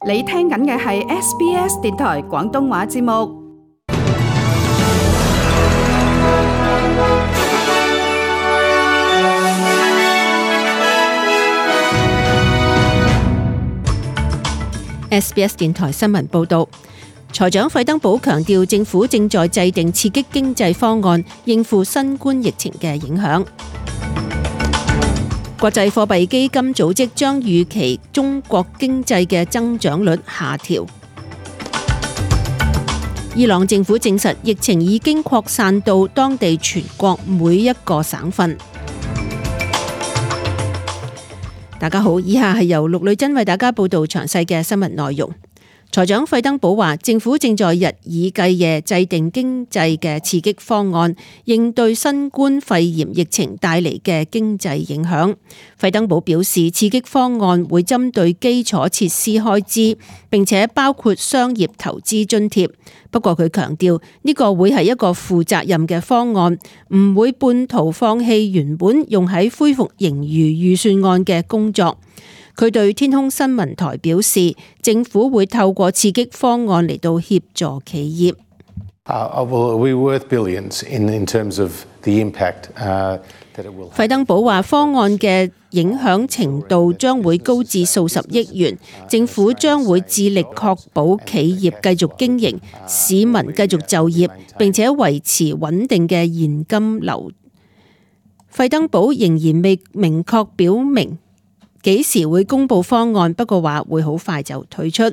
你聽緊嘅係 SBS 電台廣東話節目。SBS 電台新聞報導，財長費登堡強調，政府正在制定刺激經濟方案，應付新冠疫情嘅影響。國際貨幣基金組織將預期中國經濟嘅增長率下調。伊朗政府證實疫情已經擴散到當地全國每一個省份。大家好，以下係由陸女真為大家報道詳細嘅新聞內容。財長費登堡話，政府正在日以繼夜制定經濟嘅刺激方案，應對新冠肺炎疫情帶嚟嘅經濟影響。費登堡表示，刺激方案會針對基礎設施開支，並且包括商業投資津貼。不過佢強調，呢個會係一個負責任嘅方案，唔會半途放棄原本用喺恢復盈餘預算案嘅工作。佢對天空新聞台表示，政府會透過刺激方案嚟到協助企業。費登堡話，方案嘅影響程度將會高至數十億元，政府將會致力確保企業繼續經營，市民繼續就業，並且維持穩定嘅現金流。費登堡仍然未明確表明幾時會公布方案，不過話會好快就推出。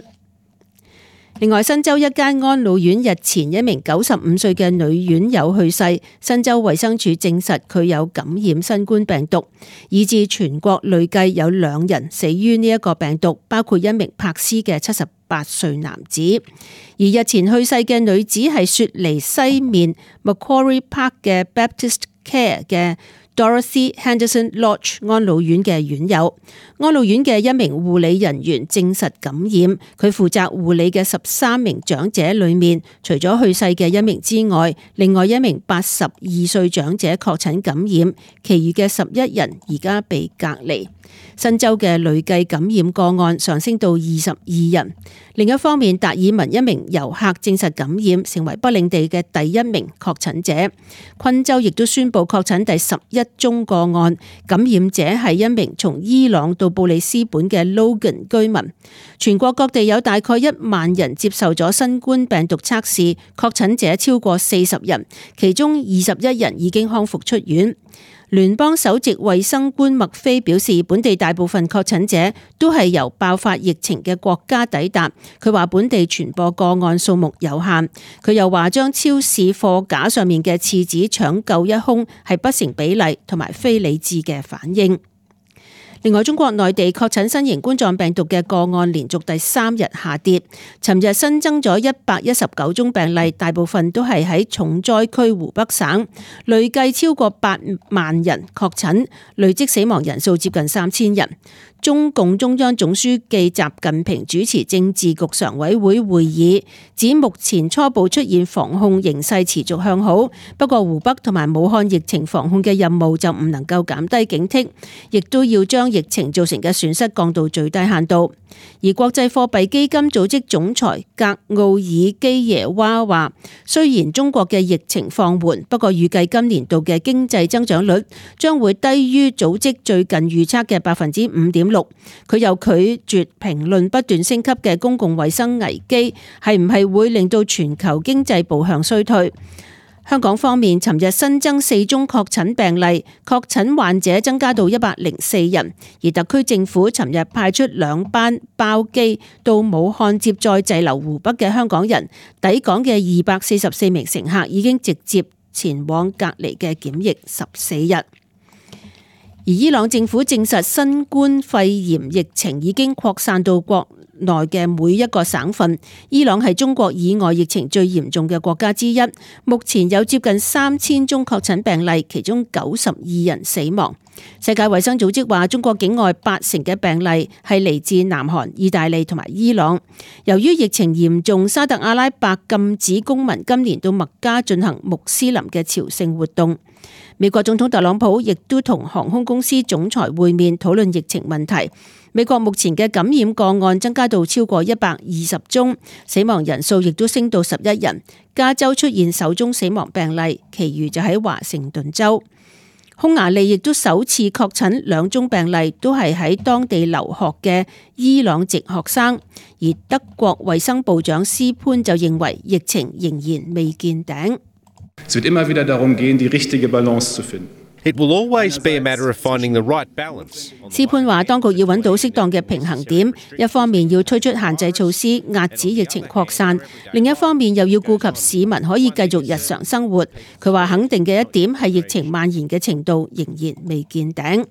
另外，新州一間安老院日前一名95歲嘅女院友去世，新州衛生署證實佢有感染新冠病毒，以致全國累計有2人死於呢一個病毒，包括一名柏斯嘅78歲男子。而日前去世嘅女子係雪梨西面 Macquarie Park 嘅 Baptist Care 嘅Dorothy Henderson Lodge 安老院嘅院友。安老院嘅一名護理人員證實感染，佢負責護理嘅13名長者裏面，除咗去世嘅一名之外，另外一名82歲長者確診感染，其餘嘅11人而家被隔離。新州嘅累計感染個案上升到22人。另一方面，達爾文一名遊客證實感染，成為北領地嘅第1名確診者。昆州亦都宣布確診第11宗個案，感染者係一名從伊朗到布里斯本嘅 Logan 居民。全國各地有大概1萬人接受咗新冠病毒測試，確診者超過40人，其中21人已經康復出院。聯邦首席衛生官麥菲表示，本地大部分確診者都係由爆發疫情嘅國家抵達。佢話本地傳播個案數目有限。佢又話將超市貨架上面嘅廁紙搶購一空係不成比例同埋非理智嘅反應。另外，中國內地確診新型冠狀病毒嘅個案連續第3日下跌。尋日新增咗119宗病例，大部分都係喺重災區湖北省，累計超過8萬人確診，累積死亡人數接近3000人。中共中央總書記習近平主持政治局常委會會議，指目前初步出現防控形勢持續向好，不過湖北同埋武漢疫情防控嘅任務就唔能夠減低警惕，亦都要將疫情造成嘅損失降到最低限度。而國際貨幣基金組織總裁格奧爾基耶娃話，雖然中國嘅疫情放緩，不過預計今年度嘅經濟增長率將會低於組織最近預測嘅5.6%。佢又拒絕評論不斷升級嘅公共衛生危機係唔係會令到全球經濟步向衰退。香港方面，尋日新增4宗確診病例，確診患者增加到104人，而特區政府尋日派出2班包機到武漢接載滯留湖北嘅香港人，抵港嘅244名乘客已經直接前往隔離嘅檢疫14日。而伊朗政府證實新冠肺炎疫情已經擴散到國內嘅每一個省份。伊朗係中國以外疫情最嚴重嘅國家之一，目前有接近3000宗確診病例，其中92人死亡。世界衛生組織話，中國境外80%嘅病例係嚟自南韓、意大利同埋伊朗。由於疫情嚴重，沙特阿拉伯禁止公民今年到麥加進行穆斯林嘅朝聖活動。美國總統特朗普亦都同航空公司總裁會面，討論疫情問題。美國目前嘅感染個案增加到超過120宗，死亡人數亦都升到11人。加州出現首宗死亡病例，其餘就喺華盛頓州。匈牙利亦都首次確診2宗病例，都係喺當地留學嘅伊朗籍學生。而德國衛生部長斯潘就認為疫情仍然未見頂。Es wird immer wieder darum gehen, die richtige Balance zu finden. It will always be a matter of finding the right balance. 斯潘話，當局要揾到適當嘅平衡點，一方面要推出限制措施壓止疫情擴散，另一方面又要顧及市民可以繼續日常生活。佢話肯定嘅一點係疫情蔓延嘅程度仍然未見頂。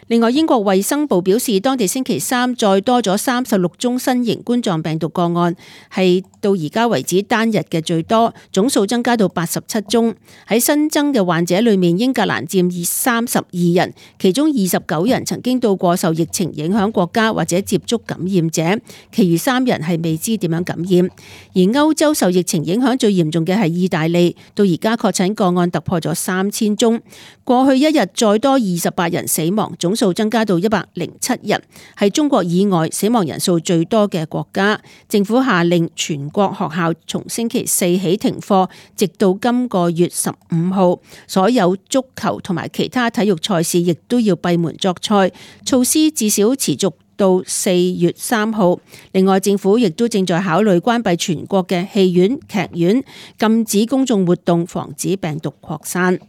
另外，英國衛生部表示，當地星期三再多咗36宗新型冠狀病毒個案，係到而家為止單日嘅最多，總數增加到87宗。喺新增嘅患者裏面，英格蘭佔32人，其中29人曾經到過受疫情影響國家或者接觸感染者，其餘3人係未知點樣感染。而歐洲受疫情影響最嚴重嘅係意大利，到而家確診個案突破咗3000宗，過去一日再多28人死亡，總數增加到107人，係中國以外死亡人數最多嘅國家。政府下令全國學校從星期4起停課，直到今個月15號。所有足球同埋其他體育賽事亦都要閉門作賽，措施至少持續到4月3號。另外，政府亦都正在考慮關閉全國嘅戲院、劇院，禁止公眾活動，防止病毒擴散。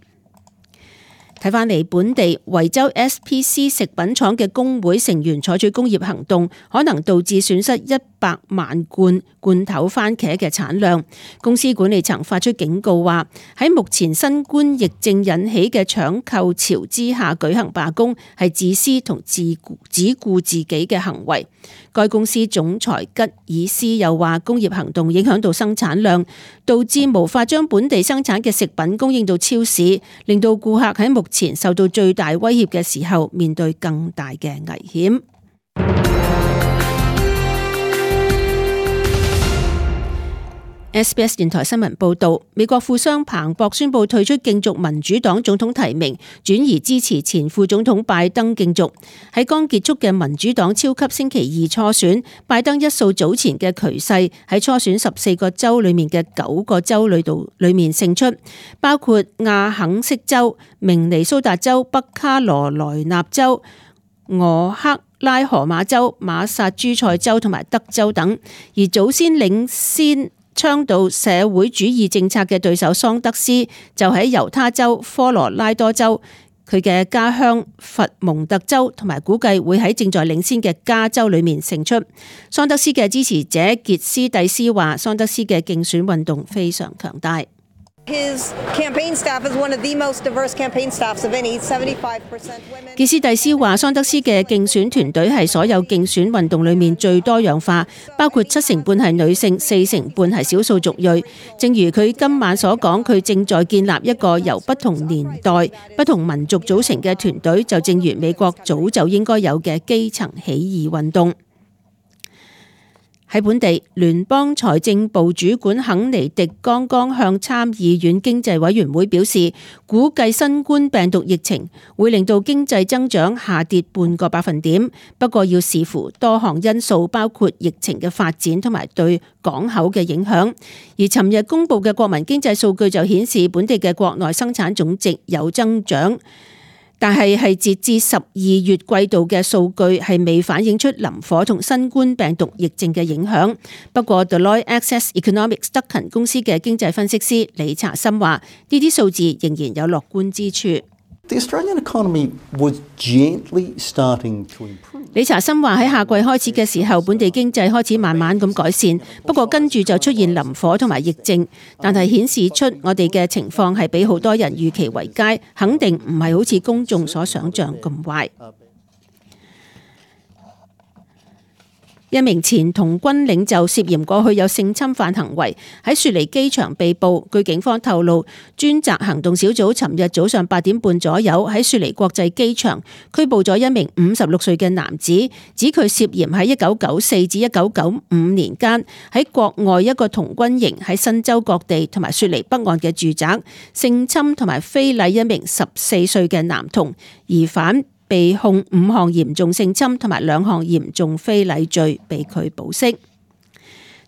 睇返嚟本地，維州 SPC 食品廠嘅工會成員採取工業行動，可能導致損失100萬罐罐頭番茄嘅產量。公司管理層發出警告話，喺目前新冠疫症引起嘅搶購潮之下舉行罷工，係自私同只顧自己嘅行為。該公司總裁吉爾斯又話，工業行動影響到生產量，導致無法將本地生產嘅食品供應到超市，令到顧客喺目前受到最大威脅嘅時候，面對更大嘅危險。SBS 電台新聞報道，美國富商彭博宣布退出競逐民主黨總統提名，轉而支持前副總統拜登競逐。喺剛結束嘅民主黨超級星期二初選，拜登一掃早前嘅頹勢，喺初選14個州裏面嘅9個州裏面勝出，包括亞肯色州、明尼蘇達州、北卡羅來納州、俄克拉荷馬州、馬薩諸塞州同埋德州等。而早先領先倡導社會主義政策嘅對手桑德斯就喺猶他州、科羅拉多州、佢嘅家鄉佛蒙特州同埋估計會喺正在領先嘅加州裏面勝出。桑德斯嘅支持者傑斯蒂斯話，桑德斯嘅競選運動非常強大。His campaign staff is one of the most diverse campaign staffs of any, 75% women. 傑斯蒂斯話，桑德斯嘅競選團隊係所有競選運動裏面最多樣化，包括70%係女性，40%係少數族裔。正如佢今晚所講，佢正在建立一個由不同年代、不同民族組成嘅團隊，就正如美國早就應該有嘅基層起義運動。喺本地，聯邦財政部主管肯尼迪剛剛向參議院經濟委員會表示，估計新冠病毒疫情會令到經濟增長下跌半個百分點，不過要視乎多項因素，包括疫情嘅發展同埋對港口嘅影響。而尋日公布嘅國民經濟數據就顯示，本地嘅國內生產總值有增長。但係截至12月季度嘅數據係未反映出林火同新冠病毒疫症嘅影響。不過 Deloitte Access Economics 德勤公司嘅經濟分析師李查森話，呢啲數字仍然有樂觀之處。The Australian economy was gently starting to improve. 李查森話，喺夏季開始嘅時候，本地經濟開始慢慢咁改善，不過跟住就出現林火同埋疫症，但係顯示出我哋嘅情況係比好多人預期為佳，肯定唔係好似公眾所想象咁壞。一名前童軍領袖涉嫌過去有性侵犯行為，喺雪梨機場被捕。據警方透露，專責行動小組尋日早上8點半左右喺雪梨國際機場拘捕咗一名56歲嘅男子，指佢涉嫌喺1994至1995年間喺國外一個童軍營喺新州各地同埋雪梨北岸嘅住宅性侵同埋非禮一名14歲嘅男童。疑犯被控5項嚴重性侵同埋2項嚴重非禮罪，被拒保釋。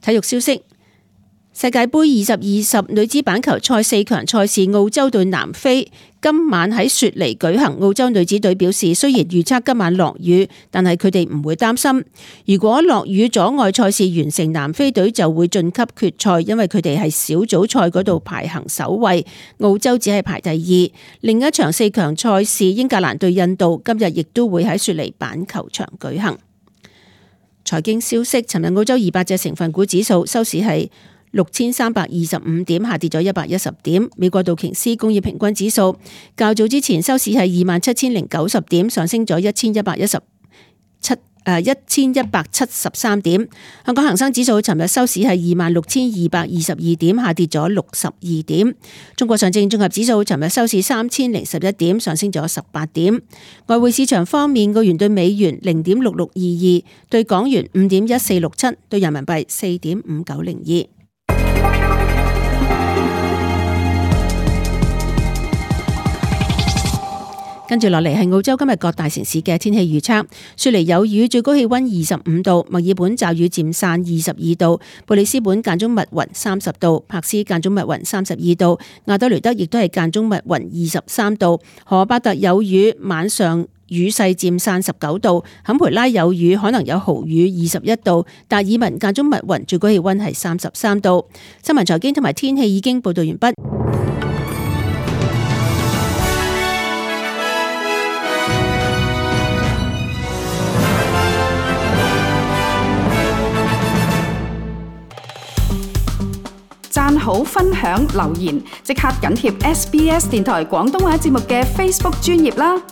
體育消息。世界盃2020女子板球賽4強賽事，澳洲對南非今晚喺雪梨舉行。澳洲女子隊表示，雖然預測今晚落雨，但係佢哋唔會擔心。如果落雨阻礙賽事完成，南非隊就會晉級決賽，因為佢哋係小組賽嗰度排行首位，澳洲只係排第2。另一場4強賽事，英格蘭對印度今日亦都會喺雪梨板球場舉行。財經消息，尋日澳洲200隻成分股指數收市係6325點，下跌咗110點。美國道瓊斯工業平均指數較早之前收市係27090點，上升咗1173點。香港恒生指數尋日收市係26222點，下跌咗62點。中國上證綜合指數尋日收市3011點，上升咗18點。外匯市場方面，澳元對美元0.6622，對港元5.1467，對人民幣4.5902。跟住落嚟係澳洲今日各大城市嘅天氣預測。雪梨有雨，最高氣溫25度；墨爾本驟雨漸散22度；布里斯本間中密雲30度；柏斯間中密雲32度；亞德雷德亦都係間中密雲23度；荷巴特有雨，晚上雨勢漸散19度；坎培拉有雨，可能有豪雨21度；達爾文間中密雲，最高氣溫係33度。新聞財經同埋天氣已經報道完畢。讚好、分享、留言，即刻緊貼SBS 電台廣東話節目嘅 Facebook 專頁啦！